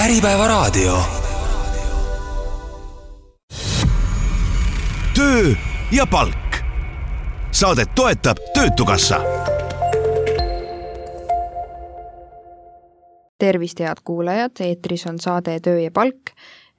Äripäevaraadio. Töö ja palk. Saadet toetab Töötukassa. Tervist, head kuulajad, eetris on saade Töö ja palk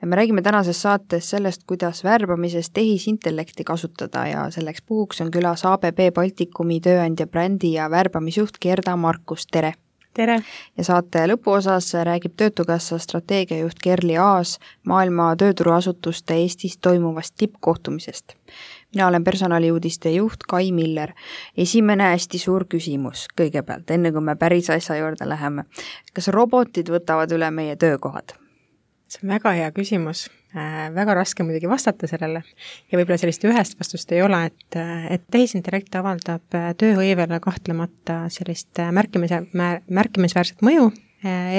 ja me räägime tänases saates sellest, kuidas värbamises tehisintellekti kasutada ja selleks puhuks on külas ABB Baltikumi tööandja brändi ja värbamisjuht Gerda Markus, tere! Tere! Ja saate lõpuosas räägib Töötukassa strateegiajuht Kerli Aas maailma tööturuasutuste Eestis toimuvast tippkohtumisest. Mina olen personaliuudiste juht Kai Miller. Esimene hästi suur küsimus kõigepealt, enne kui me päris asja juurde läheme. Kas robotid võtavad üle meie töökohad? See on väga hea küsimus. Väga raske muidugi vastata sellele ja võib-olla sellist ühest vastust ei ole, et tehisintellekt avaldab tööhõivele kahtlemata sellist märkimisväärset mõju,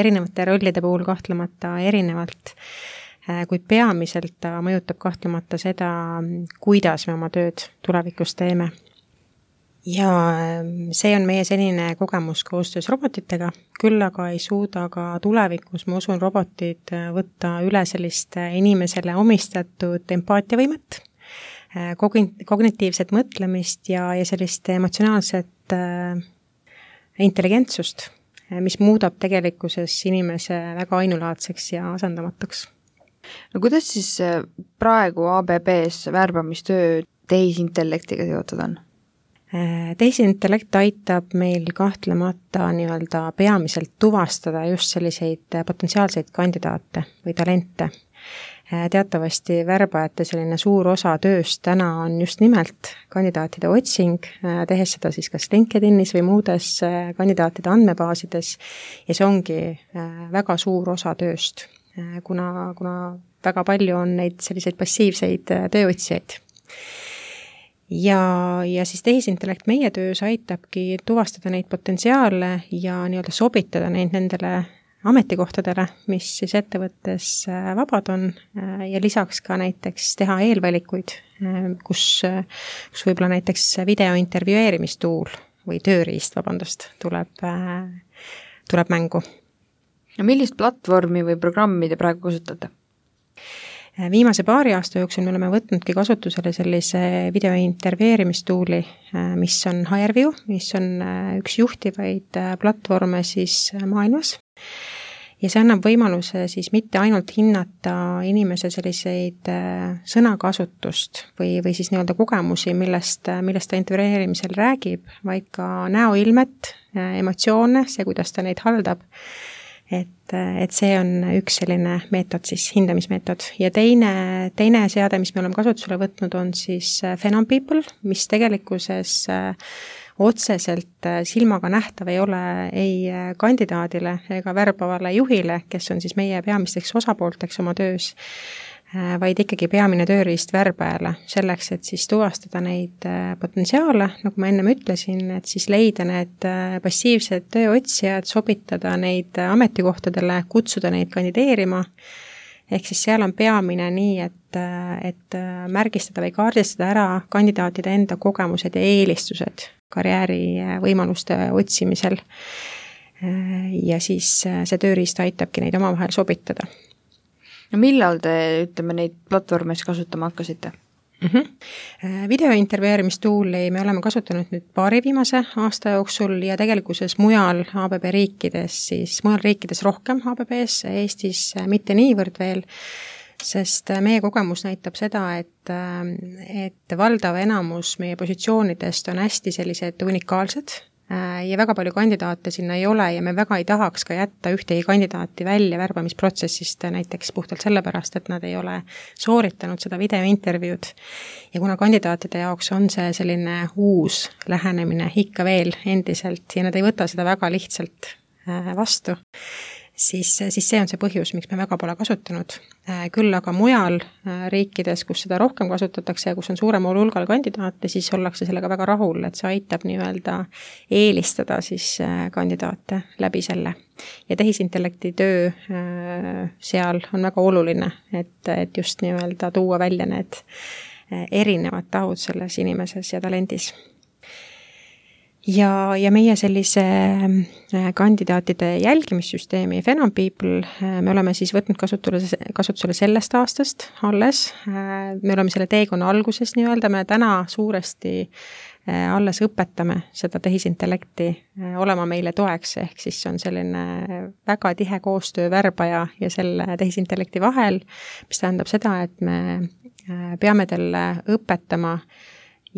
erinevate rollide puhul kahtlemata erinevalt, kuid peamiselt ta mõjutab kahtlemata seda, kuidas me oma tööd tulevikus teeme. Ja see on meie senine kogemus koostöös robotitega, küll aga ei suuda ka tulevikus, ma usun, robotid võtta üle sellist inimesele omistatud empaatiavõimet, kognitiivset mõtlemist ja sellist emotsionaalset intelligentsust, mis muudab tegelikkuses inimese väga ainulaadseks ja asendamatuks. No kuidas siis praegu ABBs värbamistöö tehisintellektiga seotud on? Tehisintellekt aitab meil kahtlemata nii-öelda peamiselt tuvastada just selliseid potentsiaalseid kandidaate või talente. Teatavasti värbajate selline suur osa tööst täna on just nimelt kandidaatide otsing, tehes seda siis kas LinkedInis või muudes kandidaatide andmebaasides ja see ongi väga suur osa tööst, kuna väga palju on neid selliseid passiivseid tööotsijaid. Ja siis tehisintellekt meie töös aitabki tuvastada neid potentsiaale ja nii-öelda sobitada neid nendele ametikohtadele, mis siis ettevõttes vabad on ja lisaks ka näiteks teha eelvalikuid, kus võib-olla näiteks videointervjueerimistuul või tööriist, tuleb mängu. Ja millist platvormi või programmi te praegu kasutate? Viimase paari aasta jooksul me oleme võtnudki kasutusele sellise videointervjueerimistuuli, mis on HireVue, mis on üks juhtivaid platvorme siis maailmas. Ja see annab võimaluse siis mitte ainult hinnata inimese selliseid sõnakasutust või siis nii-öelda kogemusi, millest ta intervjueerimisel räägib, vaid ka näoilmet, emotsioone, see, kuidas ta neid haldab. Et see on üks selline meetod, siis hindamismeetod. Ja teine seade, mis me oleme kasutusele võtnud, on siis Phenom People, mis tegelikkuses otseselt silmaga nähtav ei ole ei kandidaadile ega värbavale juhile, kes on siis meie peamisteks osapoolteks oma töös, vaid ikkagi peamine tööriist värbajale selleks, et siis tuvastada neid potentsiaale, nagu ma ennem ütlesin, et siis leida need passiivsed tööotsijad, sobitada neid ametikohtadele, kutsuda neid kandideerima. Ehk siis seal on peamine nii, et märgistada või kaardistada ära kandidaatide enda kogemused ja eelistused karjäärivõimaluste otsimisel. Ja siis see tööriist aitabki neid omavahel sobitada. No millal te, neid platvormes kasutama hakkasite? Videointervjueerimistuuli me oleme kasutanud nüüd paari viimase aasta jooksul ja tegelikkuses mujal ABB riikides, siis mujal riikides rohkem ABBs, Eestis mitte niivõrd veel, sest meie kogemus näitab seda, et valdav enamus meie positsioonidest on hästi sellised unikaalsed, ja väga palju kandidaate sinna ei ole ja me väga ei tahaks ka jätta ühtegi kandidaati välja värbamisprotsessist näiteks puhtalt sellepärast, et nad ei ole sooritanud seda videointervjuud. Ja kuna kandidaatide jaoks on see selline uus lähenemine ikka veel endiselt ja nad ei võta seda väga lihtsalt vastu, siis see on see põhjus, miks me väga pole kasutanud. Küll aga mujal riikides, kus seda rohkem kasutatakse ja kus on suurem hulgal kandidaate, siis ollakse sellega väga rahul, et see aitab nii-öelda eelistada siis kandidaate läbi selle. Ja tehisintellekti töö seal on väga oluline, et just nii-öelda tuua välja need erinevad tahud selles inimeses ja talendis. ja meie sellise kandidaatide jälgimissüsteemi Phenom People me oleme siis võtnud kasutusele sellest aastast alles. Me oleme selle teekonna alguses nii-öelda, me täna suuresti alles õpetame seda tehisintellekti olema meile toeks, ehk siis on selline väga tihe koostöö värbaja ja selle tehisintellekti vahel, mis tähendab seda, et me peame talle õpetama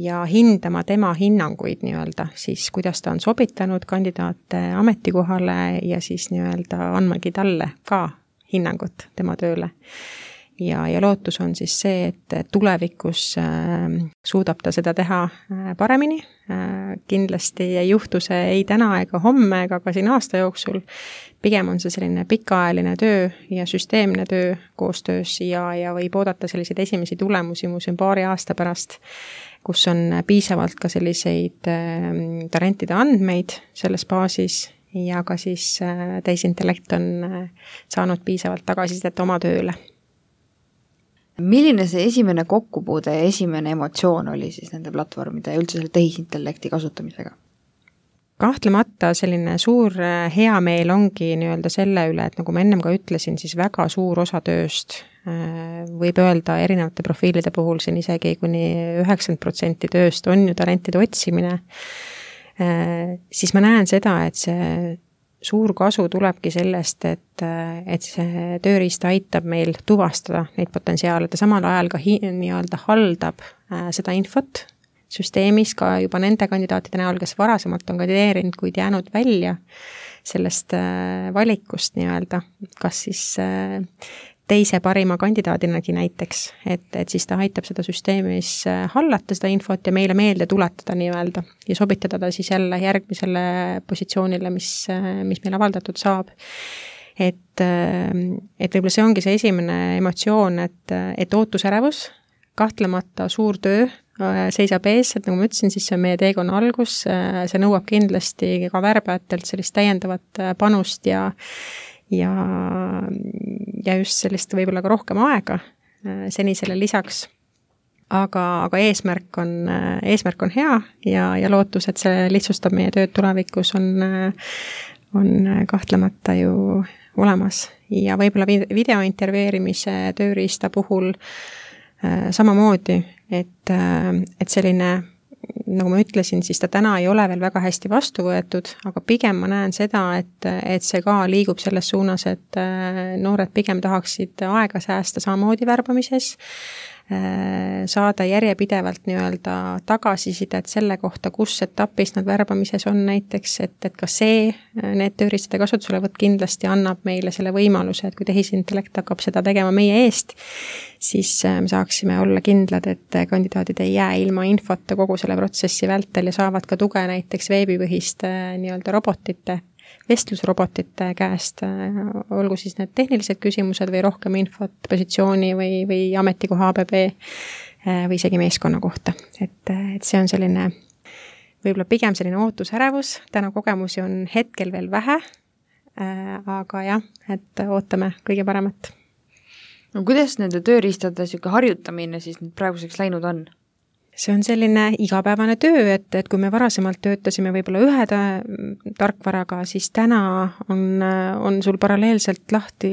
ja hindama tema hinnanguid nii-öelda, siis kuidas ta on sobitanud kandidaate ametikohale ja siis nii-öelda andmagi talle ka hinnangut tema tööle. Ja lootus on siis see, et tulevikus suudab ta seda teha paremini. Kindlasti ei juhtu see ei täna ega homme ega ka siin aasta jooksul. Pigem on see selline pikaajaline töö ja süsteemne töö koostöös ja võib oodata selliseid esimesi tulemusi muuseum paari aasta pärast, kus on piisavalt ka selliseid talentide andmeid selles baasis ja ka siis tehisintellekt on saanud piisavalt tagasisidet oma tööle. Milline see esimene kokkupuude ja esimene emotsioon oli siis nende platvormide ja üldse selle tehisintellekti kasutamisega? Kahtlemata selline suur hea meel ongi nii-öelda selle üle, et nagu ma ennem ka ütlesin, siis väga suur osa tööst võib öelda erinevate profiilide puhul siin isegi kuni 90% tööst on ju talentide otsimine, siis ma näen seda, et see suur kasu tulebki sellest, et see tööriist aitab meil tuvastada neid potentsiaale, ta samal ajal ka nii-öelda haldab seda infot süsteemis ka juba nende kandidaatide näol, kes varasemalt on kandideerinud, kuid jäänud välja sellest valikust nii-öelda, kas siis teise parima kandidaadinagi näiteks, et siis ta aitab seda süsteemis hallata seda infot ja meile meelde tuletada nii-öelda ja sobitada ta siis jälle järgmisele positsioonile, mis meil avaldatud saab. Et võib-olla see ongi see esimene emotsioon, et ootusärevus, kahtlemata suur töö seisab ees, et nagu ma ütlesin, siis see on meie teekonna algus, see nõuab kindlasti ka värbajatelt sellist täiendavat panust ja just sellist võib-olla ka rohkem aega senisele lisaks. Aga eesmärk on hea ja lootus, et see lihtsustab meie tööd tulevikus on kahtlemata ju olemas. Ja võib-olla videointervjueerimise tööriista puhul samamoodi, et selline, nagu ma ütlesin, siis ta täna ei ole veel väga hästi vastu võetud, aga pigem ma näen seda, et see ka liigub selles suunas, et noored pigem tahaksid aega säästa samamoodi värbamises, saada järjepidevalt nii-öelda tagasisidet selle kohta, kus etapis nad värbamises on näiteks, et ka need tööriistade kasutuselevõtt kindlasti annab meile selle võimaluse, et kui tehisintellekt hakkab seda tegema meie eest, siis me saaksime olla kindlad, et kandidaadid ei jää ilma infota kogu selle protsessi vältel ja saavad ka tuge näiteks veebipõhiste nii-öelda robotite, vestlusrobotite käest, olgu siis need tehnilised küsimused või rohkem infot positsiooni või ametikoha ABB või isegi meeskonna kohta. Et see on selline, võib-olla pigem selline ootusärevus, täna kogemusi on hetkel veel vähe, aga jah, et ootame kõige paremat. No kuidas nende tööriistade harjutamine siis praeguseks läinud on? See on selline igapäevane töö, et kui me varasemalt töötasime võib-olla ühe tarkvaraga, siis täna on sul paralleelselt lahti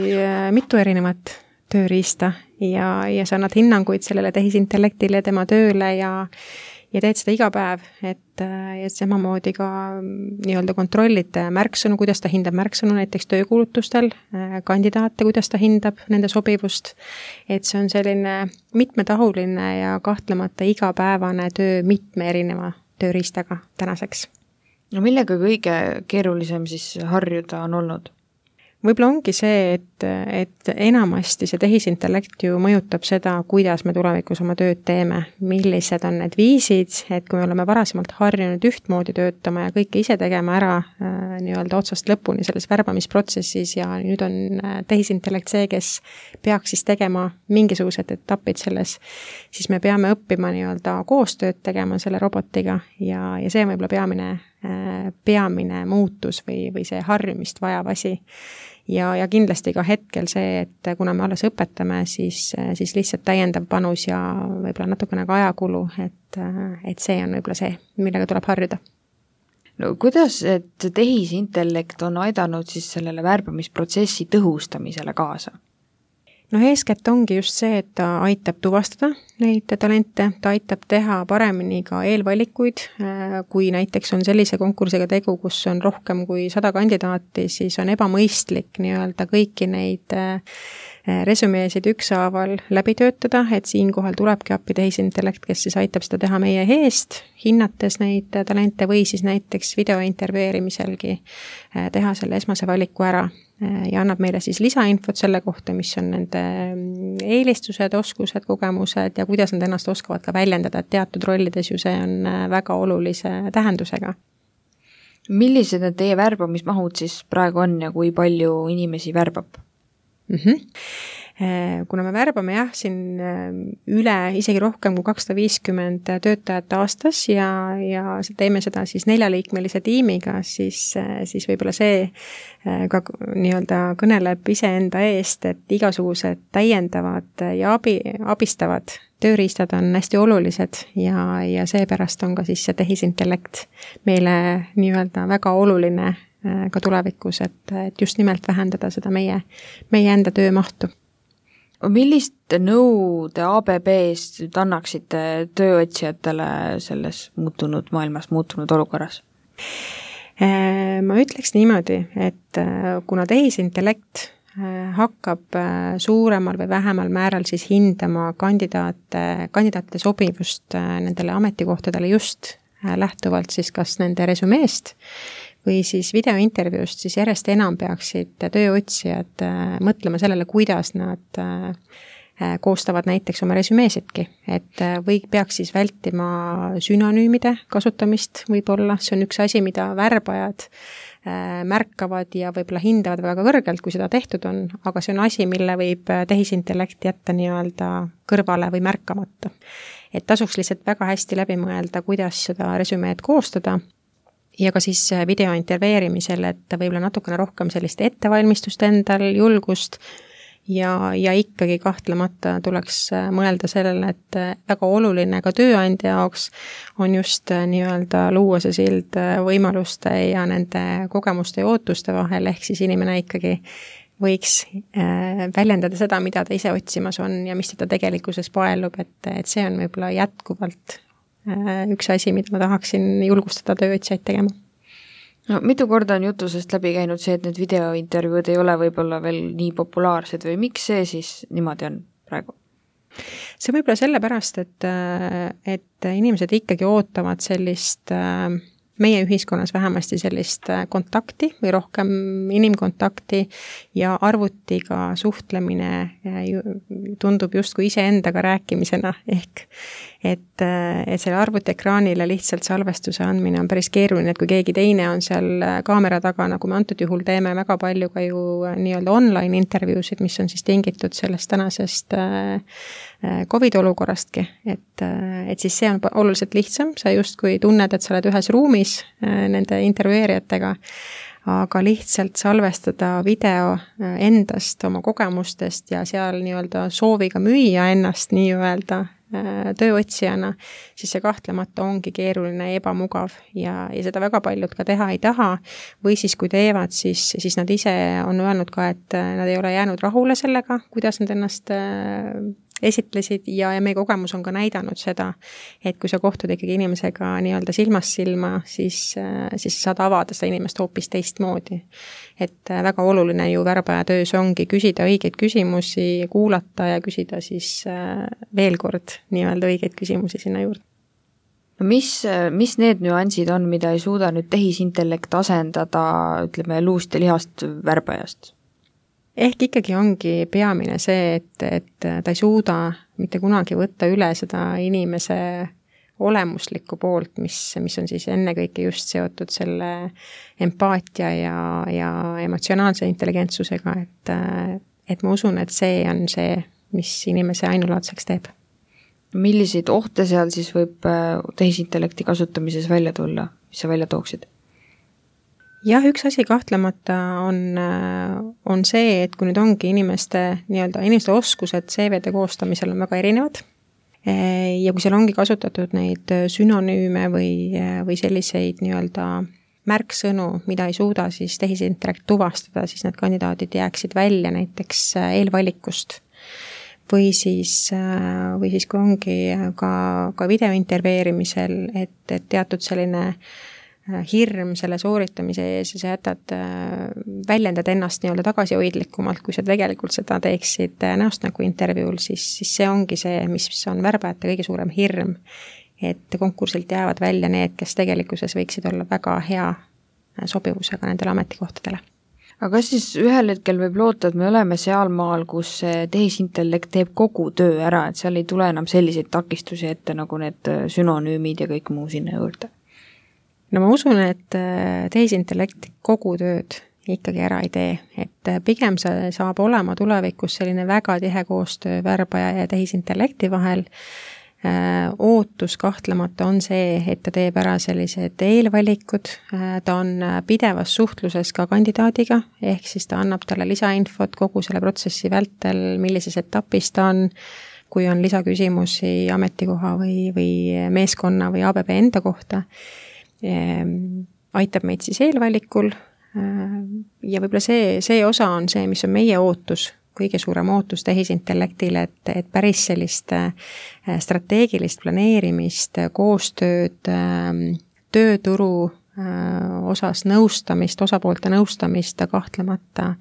mitu erinevat tööriista ja sa annad hinnanguid sellele tehisintellektile, tema tööle ja teed seda iga päev, et samamoodi ka nii-öelda kontrollid märksõnu, kuidas ta hindab märksõnu näiteks töökuulutustel, kandidaate, kuidas ta hindab nende sobivust, et see on selline mitmetahuline ja kahtlemata igapäevane töö mitme erineva tööriistaga tänaseks. No millega kõige keerulisem siis harjuda on olnud? Võib-olla ongi see, et enamasti see tehisintellekt ju mõjutab seda, kuidas me tulevikus oma tööd teeme, millised on need viisid, et kui me oleme varasemalt harjunud ühtmoodi töötama ja kõike ise tegema ära nii-öelda otsast lõpuni selles värbamisprotsessis ja nüüd on tehisintellekt see, kes peaks siis tegema mingisugused etapid selles, siis me peame õppima nii-öelda koostööd tegema selle robotiga ja see on võib-olla peamine muutus või see harjumist vajav asi. Ja kindlasti ka hetkel see, et kuna me alles õpetame, siis lihtsalt täiendav panus ja võib-olla natukene ka ajakulu, et see on võib-olla see, millega tuleb harjuda. No kuidas, et tehisintellekt on aidanud siis sellele värbamisprotsessi tõhustamisele kaasa? No eeskätt ongi just see, et ta aitab tuvastada neid talente, ta aitab teha paremini ka eelvalikuid, kui näiteks on sellise konkursiga tegu, kus on rohkem kui 100 kandidaati, siis on ebamõistlik nii-öelda kõiki neid resümeesid ükshaaval läbi töötada, et siinkohal tulebki appi tehisintellekt, kes siis aitab seda teha meie eest, hinnates neid talente või siis näiteks videointervjueerimiselgi teha selle esmase valiku ära ja annab meile siis lisainfot selle kohta, mis on nende eelistused, oskused, kogemused ja kuidas nad ennast oskavad ka väljendada, et teatud rollides ju see on väga olulise tähendusega. Millised need teie värbamismahud siis praegu on ja kui palju inimesi värbab? Kuna me värbame siin üle isegi rohkem kui 250 töötajat aastas ja teeme seda siis 4-liikmelise tiimiga, siis võib-olla see ka nii-öelda kõneleb iseenda eest, et igasugused täiendavad ja abistavad tööriistad on hästi olulised ja seepärast on ka siis see tehisintellekt meile nii-öelda väga oluline ka tulevikus, et just nimelt vähendada seda meie enda töömahtu. Millist nõu te ABB-st nüüd annaksite tööotsijatele selles muutunud maailmas, muutunud olukorras? Ma ütleks niimoodi, et kuna tehisintellekt hakkab suuremal või vähemal määral siis hindama kandidaatide sobivust nendele ametikohtadele just lähtuvalt siis kas nende resümeest või siis videointervjuust, siis järjest enam peaksid tööotsijad mõtlema sellele, kuidas nad koostavad näiteks oma resümeesidki, et või peaks siis vältima sünonüümide kasutamist võib-olla, see on üks asi, mida värbajad märkavad ja võib-olla hindavad väga kõrgelt, kui seda tehtud on, aga see on asi, mille võib tehisintellekt jätta nii-öelda kõrvale või märkamata. Et tasuks lihtsalt väga hästi läbi mõelda, kuidas seda resümeed koostada ja ka siis videointervjueerimisel, et võib-olla natukene rohkem sellist ettevalmistust endal, julgust ja ikkagi kahtlemata tuleks mõelda sellele, et väga oluline ka tööandja jaoks on just nii-öelda luua see sild võimaluste ja nende kogemuste ja ootuste vahel, ehk siis inimene ikkagi võiks väljendada seda, mida ta ise otsimas on ja mis teda tegelikkuses paelub, et see on võib-olla jätkuvalt üks asi, mida ma tahaksin julgustada tööotsijaid tegema. No mitu korda on jutusest läbi käinud see, et need videointervjuud ei ole võib-olla veel nii populaarsed või miks see siis niimoodi on praegu? See võib-olla sellepärast, et inimesed ikkagi ootavad sellist meie ühiskonnas vähemasti sellist kontakti või rohkem inimkontakti ja arvutiga suhtlemine tundub justkui iseendaga rääkimisena ehk et selle arvutiekraanile lihtsalt salvestuse andmine on päris keeruline, et kui keegi teine on seal kaamera taga, nagu me antud juhul teeme väga palju ka ju nii-öelda online intervjuusid, mis on siis tingitud sellest tänasest COVID-olukorrastki, et siis see on oluliselt lihtsam, sa justkui tunned, et sa oled ühes ruumis nende intervjueerijatega, aga lihtsalt salvestada video endast, oma kogemustest ja seal nii-öelda sooviga müüa ennast nii-öelda tööotsijana, siis see kahtlemata ongi keeruline ja ebamugav ja seda väga paljud ka teha ei taha või siis kui teevad, siis nad ise on öelnud ka, et nad ei ole jäänud rahule sellega, kuidas nad ennast esitlesid ja meie kogemus on ka näidanud seda, et kui sa kohtud ikkagi inimesega nii-öelda silmast silma, siis saad avada seda inimest hoopis teistmoodi. Et väga oluline ju värbaja töös ongi küsida õigeid küsimusi, kuulata ja küsida siis veel kord nii-öelda õigeid küsimusi sinna juurde. Mis need nüansid on, mida ei suuda nüüd tehisintellekt asendada, ütleme, luust ja lihast värbajast? Ehk ikkagi ongi peamine see, et ta ei suuda mitte kunagi võtta üle seda inimese olemuslikku poolt, mis on siis ennekõike just seotud selle empaatia ja emotsionaalse intelligentsusega, et ma usun, et see on see, mis inimese ainulaadseks teeb. Milliseid ohte seal siis võib tehisintellekti kasutamises välja tulla, mis sa välja tooksid? Jah, üks asi kahtlemata on see, et kui nüüd ongi inimeste oskused CV-de koostamisel on väga erinevad ja kui seal ongi kasutatud neid sünonüüme või selliseid nii-öelda märksõnu, mida ei suuda siis tehisintellekt tuvastada, siis need kandidaadid jääksid välja näiteks eelvalikust. Või siis kui ongi ka videointervjueerimisel, et teatud selline hirm selle sooritamise ees ja sa jätad, väljendad ennast nii-öelda tagasihoidlikumalt, kui sa tegelikult seda teeksid näost nagu intervjuul, siis see ongi see, mis on värbajate kõige suurem hirm, et konkursilt jäävad välja need, kes tegelikkuses võiksid olla väga hea sobivusega nendele ametikohtadele. Aga kas siis ühel hetkel võib loota, et me oleme seal maal, kus tehisintellekt teeb kogu töö ära, et seal ei tule enam selliseid takistusi ette nagu need sünonüümid ja kõik muu sinna juurde? No ma usun, et tehisintellekt kogu tööd ikkagi ära ei tee, et pigem see saab olema tulevikus selline väga tihe koostöö värbaja ja tehisintellekti vahel. Ootus kahtlemata on see, et ta teeb ära sellised eelvalikud, ta on pidevas suhtluses ka kandidaadiga, ehk siis ta annab talle lisainfot kogu selle protsessi vältel, millises etapis ta on, kui on lisaküsimusi ametikoha või meeskonna või ABB enda kohta. Aitab meid siis eelvalikul ja võib-olla see osa on see, mis on meie ootus, kõige suurem ootus tehisintellektile, et päris sellist strateegilist planeerimist, koostööd, tööturu osas nõustamist, osapoolte nõustamist ta kahtlemata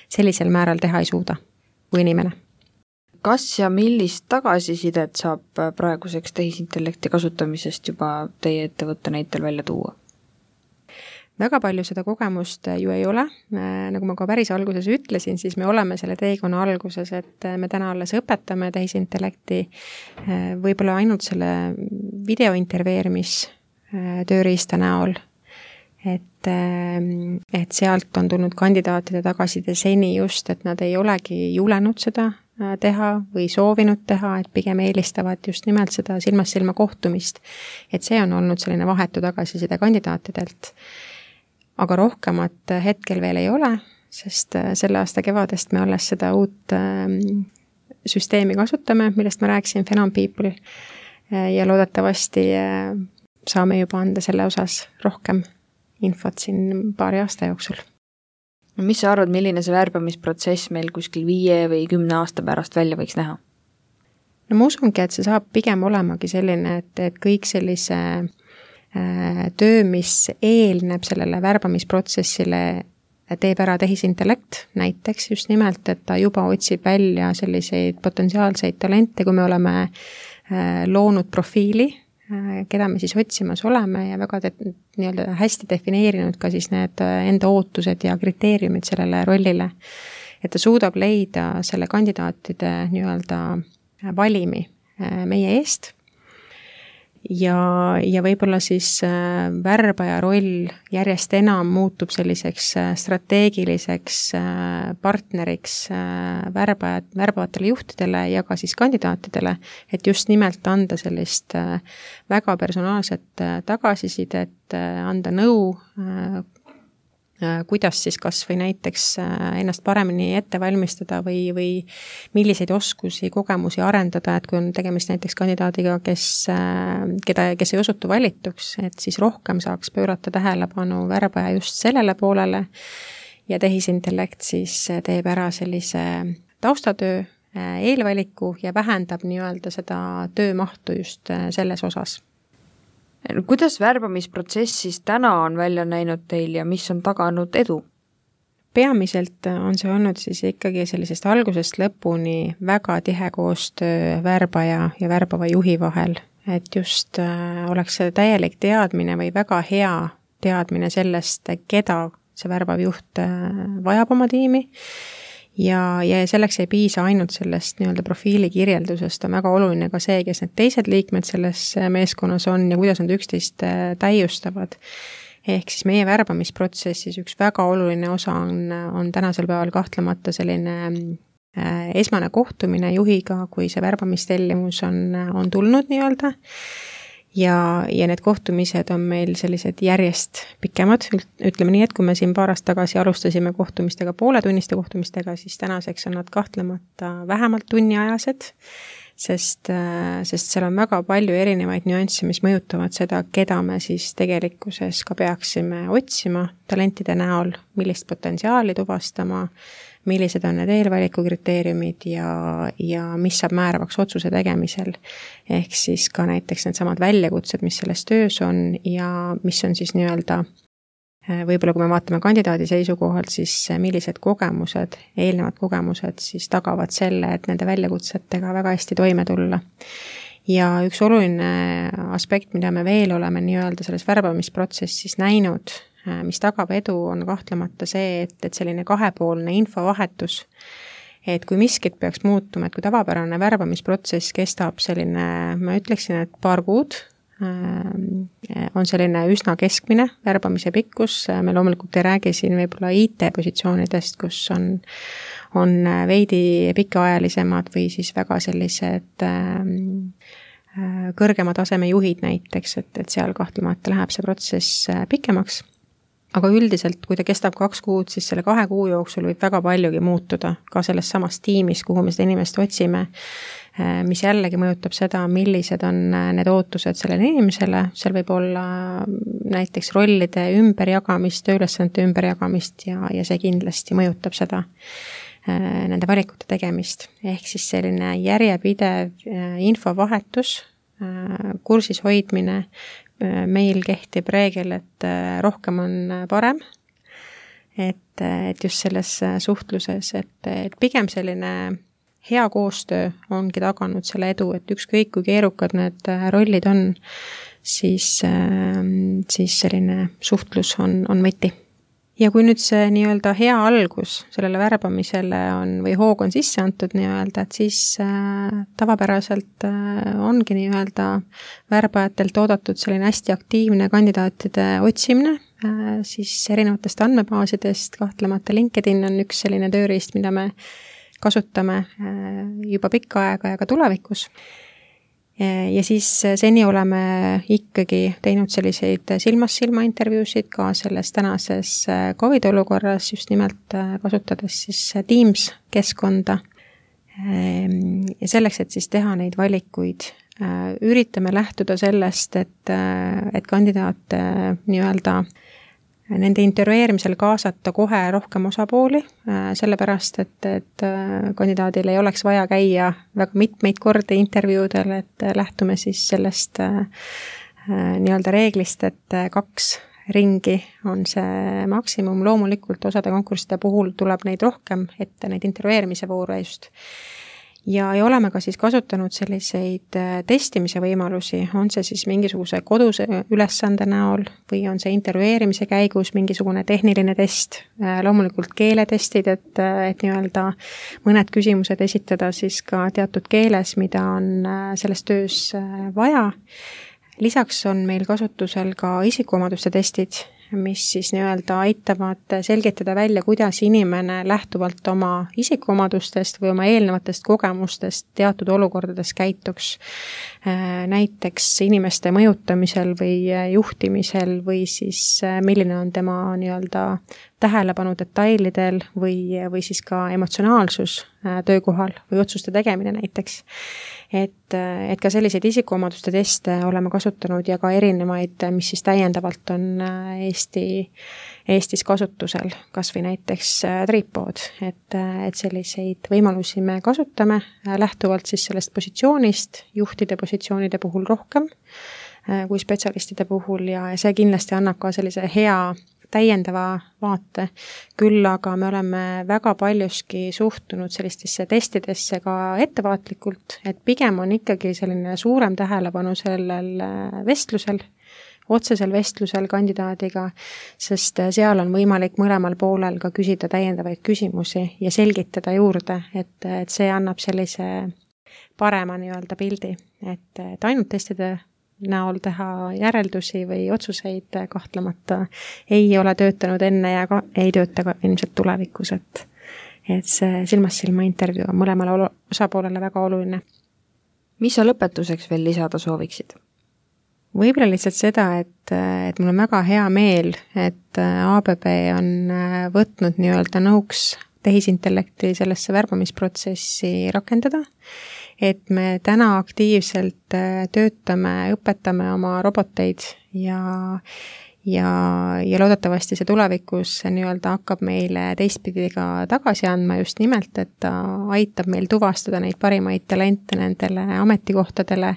sellisel määral teha ei suuda kui inimene. Kas ja millist tagasisidet saab praeguseks tehisintellekti kasutamisest juba teie ettevõtte näitel välja tuua? Väga palju seda kogemust ju ei ole. Nagu ma ka päris alguses ütlesin, siis me oleme selle teekonna alguses, et me täna alles õpetame tehisintellekti võib-olla ainult selle videointervjueerimis tööriista näol. Et sealt on tulnud kandidaatide tagasiside seni just, et nad ei olegi julenud seda teha või soovinud teha, et pigem eelistavad just nimelt seda silmast silma kohtumist. Et see on olnud selline vahetu tagasiside kandidaatidelt. Aga rohkemat hetkel veel ei ole, sest selle aasta kevadest me alles seda uut süsteemi kasutame, millest ma rääkisin, Phenom People, ja loodetavasti saame juba anda selle osas rohkem infot siin paari aasta jooksul. Mis sa arvad, milline see värbamisprotsess meil kuskil 5 või 10 aasta pärast välja võiks näha? No ma usungi, et see saab pigem olemagi selline, et kõik sellise töö, mis eelneb sellele värbamisprotsessile, teeb ära tehisintellekt, näiteks just nimelt, et ta juba otsib välja selliseid potentsiaalseid talente, kui me oleme loonud profiili, keda me siis otsimas oleme ja väga nii-öelda hästi defineerinud ka siis need enda ootused ja kriteeriumid sellele rollile. Et ta suudab leida selle kandidaatide nii-öelda valimi meie eest ja võib-olla siis värbaja roll järjest enam muutub selliseks strateegiliseks partneriks värbavatele juhtidele ja ka siis kandidaatidele, et just nimelt anda sellist väga personaalset tagasisidet, anda nõu, kuidas siis kas või näiteks ennast paremini ette valmistada või milliseid oskusi, kogemusi arendada, et kui on tegemist näiteks kandidaadiga, kes ei osutu valituks, et siis rohkem saaks pöörata tähelepanu värbaja just sellele poolele ja tehisintellekt siis teeb ära sellise taustatöö, eelvaliku ja vähendab nii-öelda seda töömahtu just selles osas. Kuidas värbamisprotsessis täna on välja näinud teil ja mis on taganud edu? Peamiselt on see olnud siis ikkagi sellisest algusest lõpuni väga tihe koostöö värbaja ja värbava juhi vahel, et just oleks see täielik teadmine või väga hea teadmine sellest, keda see värbav juht vajab oma tiimi. Ja selleks ei piisa ainult sellest nii-öelda profiili kirjeldusest, on väga oluline ka see, kes need teised liikmed selles meeskonnas on ja kuidas nad üksteist täiustavad. Ehk siis meie värbamisprotsessis üks väga oluline osa on tänasel päeval kahtlemata selline esmane kohtumine juhiga, kui see värbamistellimus on tulnud nii-öelda. Ja need kohtumised on meil sellised järjest pikemad, ütleme nii, et kui me siin paar aastat tagasi alustasime kohtumistega, pooletunniste kohtumistega, siis tänaseks on nad kahtlemata vähemalt tunniajased, sest seal on väga palju erinevaid nüansse, mis mõjutavad seda, keda me siis tegelikkuses ka peaksime otsima talentide näol, millist potentsiaali tuvastama, millised on need eelvaliku kriteeriumid ja mis saab määravaks otsuse tegemisel. Ehk siis ka näiteks need samad väljakutsed, mis selles töös on ja mis on siis nii-öelda võib-olla kui me vaatame kandidaadi seisukohalt, siis millised kogemused, eelnevad kogemused siis tagavad selle, et nende väljakutsetega väga hästi toime tulla. Ja üks oluline aspekt, mida me veel oleme nii-öelda selles värbamisprotsessis näinud, mis tagab edu, on kahtlemata see, et selline kahepoolne infovahetus, et kui miskit peaks muutuma, et kui tavapärane värbamisprotsess kestab selline, ma ütleksin, et paar kuud, on selline üsna keskmine värbamise pikkus, me loomulikult ei räägi siin võib-olla IT-positsioonidest, kus on veidi pikaajalisemad või siis väga sellised kõrgema taseme juhid näiteks, et seal kahtlemata läheb see protsess pikemaks. Aga üldiselt, kui ta kestab 2 kuud, siis selle 2 kuu jooksul võib väga paljugi muutuda ka selles samas tiimis, kuhu me seda inimest otsime, mis jällegi mõjutab seda, millised on need ootused sellele inimesele. Seal võib olla näiteks rollide ümberjagamist, tööülesannete ümberjagamist ja see kindlasti mõjutab seda nende valikute tegemist. Ehk siis selline järjepidev infovahetus, kursis hoidmine, meil kehtib reegel, et rohkem on parem, et just selles suhtluses, et pigem selline hea koostöö ongi taganud selle edu, et ükskõik kui keerukad need rollid on, siis selline suhtlus on võti. Ja kui nüüd see nii-öelda hea algus sellele värbamisele või hoog on sisse antud nii-öelda, et siis tavapäraselt ongi nii-öelda värbajatelt oodatud selline hästi aktiivne kandidaatide otsimine, siis erinevatest andmebaasidest, kahtlemata LinkedIn on üks selline tööriist, mida me kasutame juba pikka aega ja ka tulevikus. Ja siis seni oleme ikkagi teinud selliseid silmast-silma intervjuusid ka selles tänases COVID olukorras, just nimelt kasutades siis Teams keskkonda. Ja selleks, et siis teha neid valikuid, üritame lähtuda sellest, et kandidaat nii-öelda nende intervjueerimisel kaasata kohe rohkem osapooli, sellepärast, et kandidaadil ei oleks vaja käia väga mitmeid kordi intervjuudel, et lähtume siis sellest nii-öelda reeglist, et 2 ringi on see maksimum. Loomulikult osade konkursside puhul tuleb neid rohkem ette, neid intervjueerimise voore just. Ja oleme ka siis kasutanud selliseid testimise võimalusi, on see siis mingisuguse koduse ülesande näol või on see intervjueerimise käigus mingisugune tehniline test, loomulikult keeletestid, et nii-öelda mõned küsimused esitada siis ka teatud keeles, mida on selles töös vaja. Lisaks on meil kasutusel ka isikuomaduste testid, mis siis nii-öelda aitavad selgitada välja, kuidas inimene lähtuvalt oma isikuomadustest või oma eelnevatest kogemustest teatud olukordades käituks. Näiteks inimeste mõjutamisel või juhtimisel või siis milline on tema nii-öelda tähelepanu detailidel või siis ka emotsionaalsus töökohal või otsuste tegemine näiteks. Et ka selliseid isikuomaduste teste oleme kasutanud ja ka erinevaid, mis siis täiendavalt on Eestis kasutusel, kas või näiteks Tripod, et selliseid võimalusi me kasutame lähtuvalt siis sellest positsioonist, juhtide positsioonide puhul rohkem kui spetsialistide puhul ja see kindlasti annab ka sellise hea täiendava vaate, küll aga me oleme väga paljuski suhtunud sellistesse testidesse ka ettevaatlikult, et pigem on ikkagi selline suurem tähelepanu sellel vestlusel, otsesel vestlusel kandidaadiga, sest seal on võimalik mõlemal poolel ka küsida täiendavaid küsimusi ja selgitada juurde, et see annab sellise parema nii-öelda pildi, et ainult testide näol teha järeldusi või otsuseid kahtlemata ei ole töötanud enne ja ka ei tööta ka ilmselt tulevikus, et see silmast-silma intervjuu on mõlemale osapoolele väga oluline. Mis sa lõpetuseks veel lisada sooviksid? Võib-olla lihtsalt seda, et mul on väga hea meel, et ABB on võtnud nii-öelda nõuks tehisintellekti sellesse värbamisprotsessi rakendada, et me täna aktiivselt töötame, õpetame oma roboteid ja loodetavasti see tulevikus nii-öelda hakkab meile teistpidi ka tagasi andma just nimelt, et ta aitab meil tuvastada neid parimaid talente nendele ametikohtadele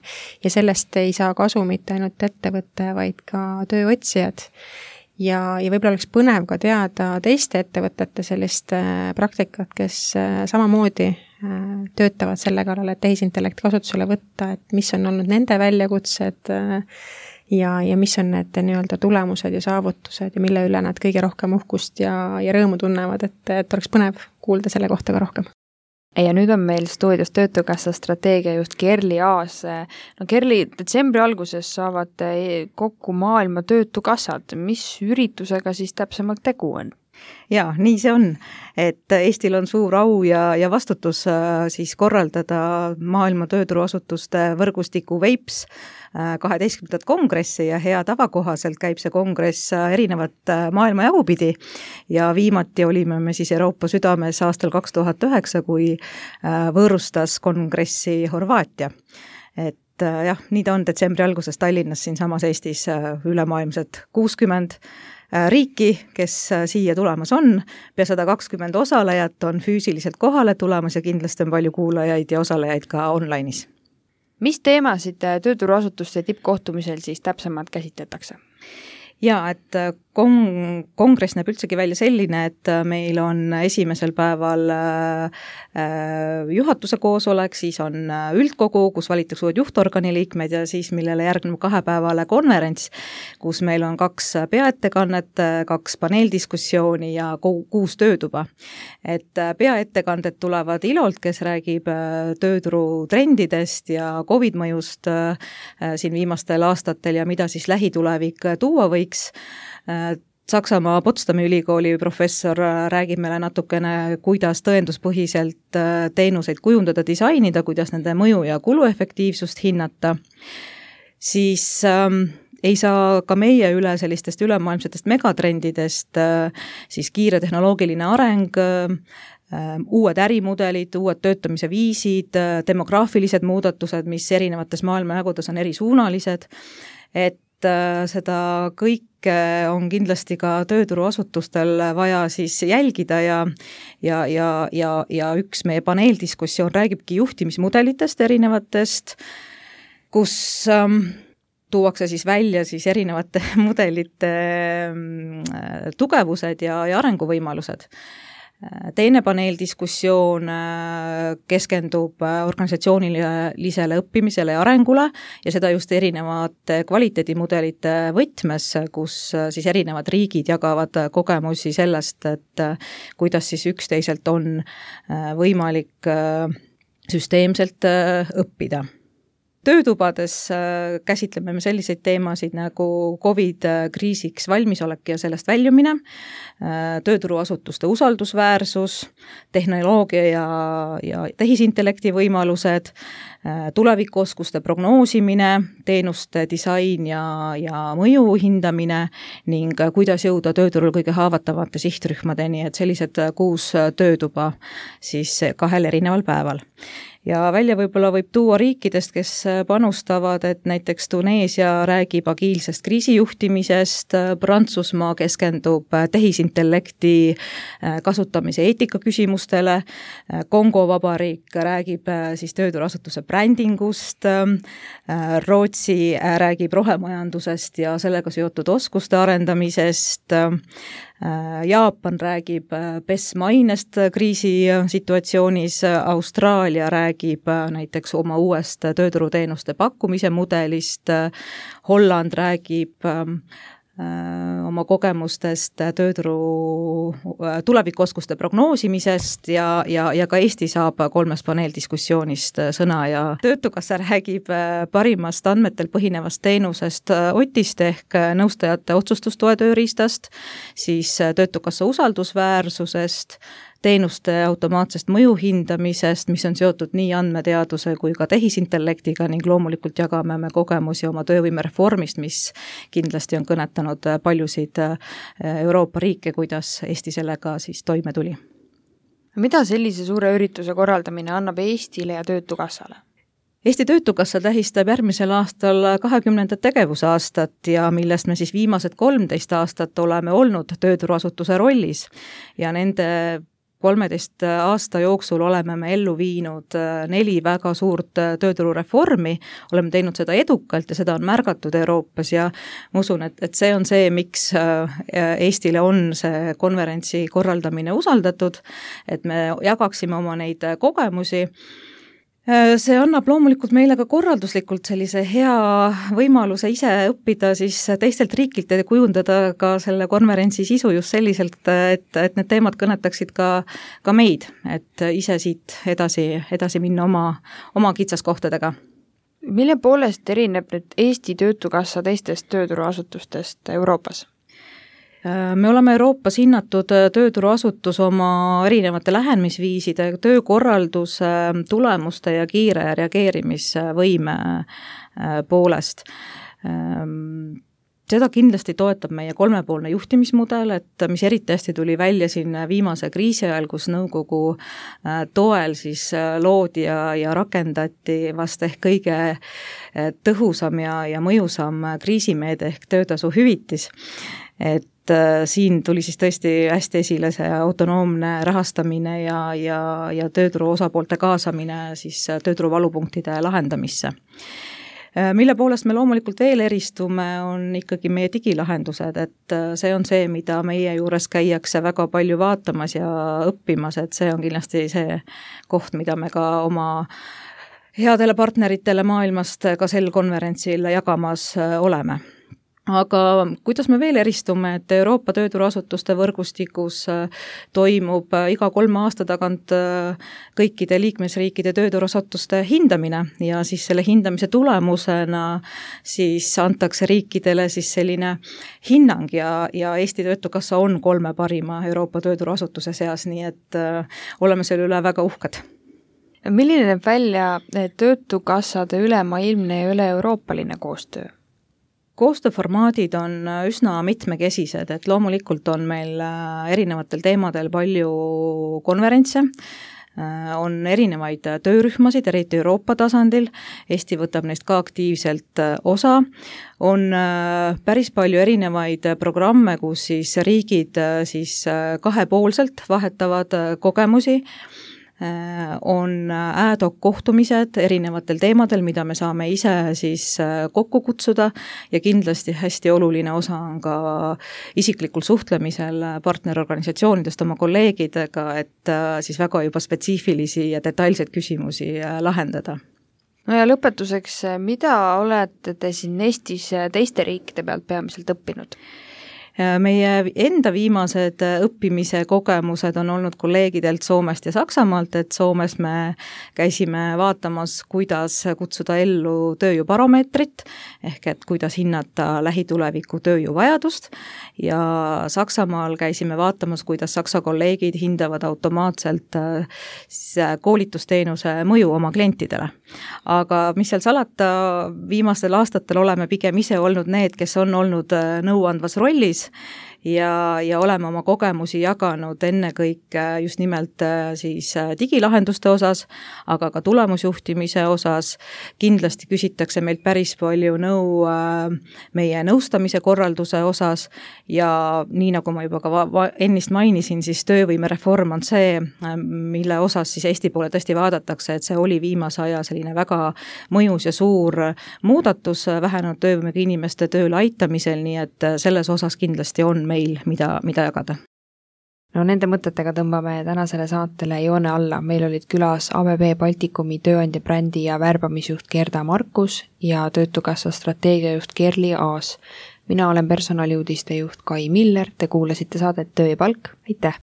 ja sellest ei saa kasu mitte ainult ettevõte, vaid ka tööotsijad. Ja võib-olla oleks põnev ka teada teiste ettevõtete sellist praktikat, kes samamoodi töötavad selle kallal, et tehisintellekt kasutusele võtta, et mis on olnud nende väljakutsed ja mis on need nii-öelda tulemused ja saavutused ja mille üle nad kõige rohkem uhkust ja rõõmu tunnevad, et oleks põnev kuulda selle kohta ka rohkem. Ja nüüd on meil stuudios Töötukassa strateegiajuht Kerli Aas. No Kerli, detsembri alguses saavad kokku maailma töötukassad. Mis üritusega siis täpsemalt tegu on? Ja, nii see on, et Eestil on suur au ja vastutus siis korraldada maailma tööturuasutuste võrgustiku VEIPS 12. kongressi ja hea tava kohaselt käib see kongress erinevat maailma jagupidi ja viimati olime me siis Euroopa südames aastal 2009, kui võõrustas kongressi Horvaatia. Et jah, nii ta on detsembri alguses Tallinnas siinsamas Eestis ülemaailmsed 60 riiki, kes siia tulemas on, pea 120 osalejat on füüsiliselt kohale tulemas ja kindlasti on palju kuulajaid ja osalejaid ka online'is. Mis teemasid tööturuasutuste tippkohtumisel siis täpsemalt käsitletakse? Ja, et kongress näeb üldsegi välja selline, et meil on esimesel päeval juhatuse koosolek, siis on üldkogu, kus valitakse uued juhtorgani liikmed ja siis millele järgneb 2-päevale konverents, kus meil on 2 peaettekannet, 2 paneeldiskussiooni ja 6 töötuba. Et peaettekanded tulevad Ilolt, kes räägib tööturu trendidest ja COVID-mõjust siin viimastel aastatel ja mida siis lähitulevik tuua võiks. Saksamaa Potsdami ülikooli professor räägib meile natukene, kuidas tõenduspõhiselt teenuseid kujundada, disainida, kuidas nende mõju ja kuluefektiivsust hinnata. Siis ei saa ka meie üle sellistest ülemaailmsetest megatrendidest, siis kiire tehnoloogiline areng, uued ärimudelid, uued töötamise viisid, demograafilised muudatused, mis erinevates maailmajagudes on erisuunalised, et seda kõike on kindlasti ka tööturuasutustel vaja siis jälgida ja üks meie paneeldiskussioon räägibki juhtimismudelitest erinevatest, kus tuuakse siis välja siis erinevate mudelite tugevused ja arenguvõimalused. Teine paneeldiskussioon keskendub organisatsioonilisele õppimisele ja arengule ja seda just erinevate kvaliteedimudelite võtmes, kus siis erinevad riigid jagavad kogemusi sellest, et kuidas siis üksteiselt on võimalik süsteemselt õppida. Töötubades käsitleme me selliseid teemasid nagu COVID-kriisiks valmisolek ja sellest väljumine, tööturuasutuste usaldusväärsus, tehnoloogia ja tehisintellekti võimalused, tulevikuoskuste prognoosimine, teenuste disain ja mõju hindamine ning kuidas jõuda tööturul kõige haavatavate sihtrühmadeni, et sellised 6 töötuba siis 2 erineval päeval. Ja välja võib-olla võib tuua riikidest, kes panustavad, et näiteks Tuneesia räägib agiilsest kriisijuhtimisest, Prantsusmaa keskendub tehisintellekti kasutamise eetikaküsimustele, Kongo Vabariik räägib siis tööturuasutuse brändingust, Rootsi räägib rohemajandusest ja sellega seotud oskuste arendamisest, Jaapan räägib PES-mainest kriisisituatsioonis, Austraalia räägib näiteks oma uuest tööturuteenuste pakkumise mudelist, Holland räägib oma kogemustest tööturu tulevikuoskuste prognoosimisest ja ka Eesti saab 3 paneeldiskussioonist sõna ja Töötukassa räägib parimast andmetel põhinevast teenusest Otist ehk nõustajate otsustustoe tööriistast, siis Töötukassa usaldusväärsusest, teenuste automaatsest mõju hindamisest, mis on seotud nii andmeteaduse kui ka tehisintellektiga ning loomulikult jagame me kogemusi oma töövõimereformist, mis kindlasti on kõnetanud paljusid Euroopa riike, kuidas Eesti sellega siis toime tuli. Mida sellise suure ürituse korraldamine annab Eestile ja Töötukassale? Eesti Töötukassa tähistab järgmisel aastal 20. tegevusaastat ja millest me siis viimased 13 aastat oleme olnud tööturuasutuse rollis ja nende 13 aasta jooksul oleme me ellu viinud 4 väga suurt tööturureformi, oleme teinud seda edukalt ja seda on märgatud Euroopas ja ma usun, et see on see, miks Eestile on see konverentsi korraldamine usaldatud, et me jagaksime oma neid kogemusi. See annab loomulikult meile ka korralduslikult sellise hea võimaluse ise õppida siis teistelt riikilt ja kujundada ka selle konverentsi sisu just selliselt, et need teemad kõnetaksid ka meid, et ise siit edasi minna oma kitsaskohtadega. Mille poolest erineb nüüd Eesti Töötukassa teistest tööturuasutustest Euroopas? Me oleme Euroopas hinnatud tööturuasutus oma erinevate lähenemisviiside, töökorralduse, tulemuste ja kiire reageerimisvõime poolest. Seda kindlasti toetab meie 3-poolne juhtimismudel, et mis eriti hästi tuli välja siin viimase kriisi ajal, kus nõukogu toel siis loodi ja rakendati vast ehk kõige tõhusam ja mõjusam kriisimeede ehk töötasu hüvitis. Et siin tuli siis tõesti hästi esile see autonoomne rahastamine ja tööturu osapoolte kaasamine siis tööturu valupunktide lahendamisse. Mille poolest me loomulikult veel eristume, on ikkagi meie digilahendused, et see on see, mida meie juures käiakse väga palju vaatamas ja õppimas, et see on kindlasti see koht, mida me ka oma headele partneritele maailmast ka sel konverentsil jagamas oleme. Aga kuidas me veel eristume, et Euroopa tööturuasutuste võrgustikus toimub iga 3 aasta tagant kõikide liikmesriikide tööturuasutuste hindamine ja siis selle hindamise tulemusena siis antakse riikidele siis selline hinnang ja Eesti Töötukassa on 3 parima Euroopa tööturuasutuse seas, nii et oleme selle üle väga uhked. Milline näeb välja töötukassade ülemaailmne ja üle-euroopaline koostöö? Koostööformaadid on üsna mitmekesised, et loomulikult on meil erinevatel teemadel palju konverentse, on erinevaid töörühmasid, eriti Euroopa tasandil, Eesti võtab neist ka aktiivselt osa, on päris palju erinevaid programme, kus siis riigid siis kahepoolselt vahetavad kogemusi, on ad hoc kohtumised erinevatel teemadel, mida me saame ise siis kokku kutsuda ja kindlasti hästi oluline osa on ka isiklikul suhtlemisel partnerorganisatsioonidest oma kolleegidega, et siis väga juba spetsiifilisi ja detailseid küsimusi lahendada. No ja lõpetuseks, mida olete te siin Eestis teiste riikide pealt peamiselt õppinud? Meie enda viimased õppimise kogemused on olnud kolleegidelt Soomest ja Saksamaalt, et Soomes me käisime vaatamas, kuidas kutsuda ellu tööjõubaromeetrit, ehk et kuidas hinnata lähituleviku tööjõuvajadust ja Saksamaal käisime vaatamas, kuidas Saksa kolleegid hindavad automaatselt koolitusteenuse mõju oma klientidele. Aga mis seal salata, viimastel aastatel oleme pigem ise olnud need, kes on olnud nõuandvas rollis ja oleme oma kogemusi jaganud ennekõike just nimelt siis digilahenduste osas, aga ka tulemusjuhtimise osas. Kindlasti küsitakse meilt päris palju nõu meie nõustamise korralduse osas ja nii nagu ma juba ka ennist mainisin, siis töövõimereform on see, mille osas siis Eesti poole tõesti vaadatakse, et see oli viimase aja selline väga mõjus ja suur muudatus vähenenud töövõimega inimeste tööle aitamisel, nii et selles osas kindlasti on meil, mida jagada. No nende mõtetega tõmbame tänasele saatele joone alla. Meil olid külas ABB Baltikumi tööandja brändi ja värbamisjuht Gerda Markus ja Töötukassa strateegiajuht Kerli Aas. Mina olen personaliuudiste juht Kai Miller, te kuulasite saadet Töö ja palk, aitäh!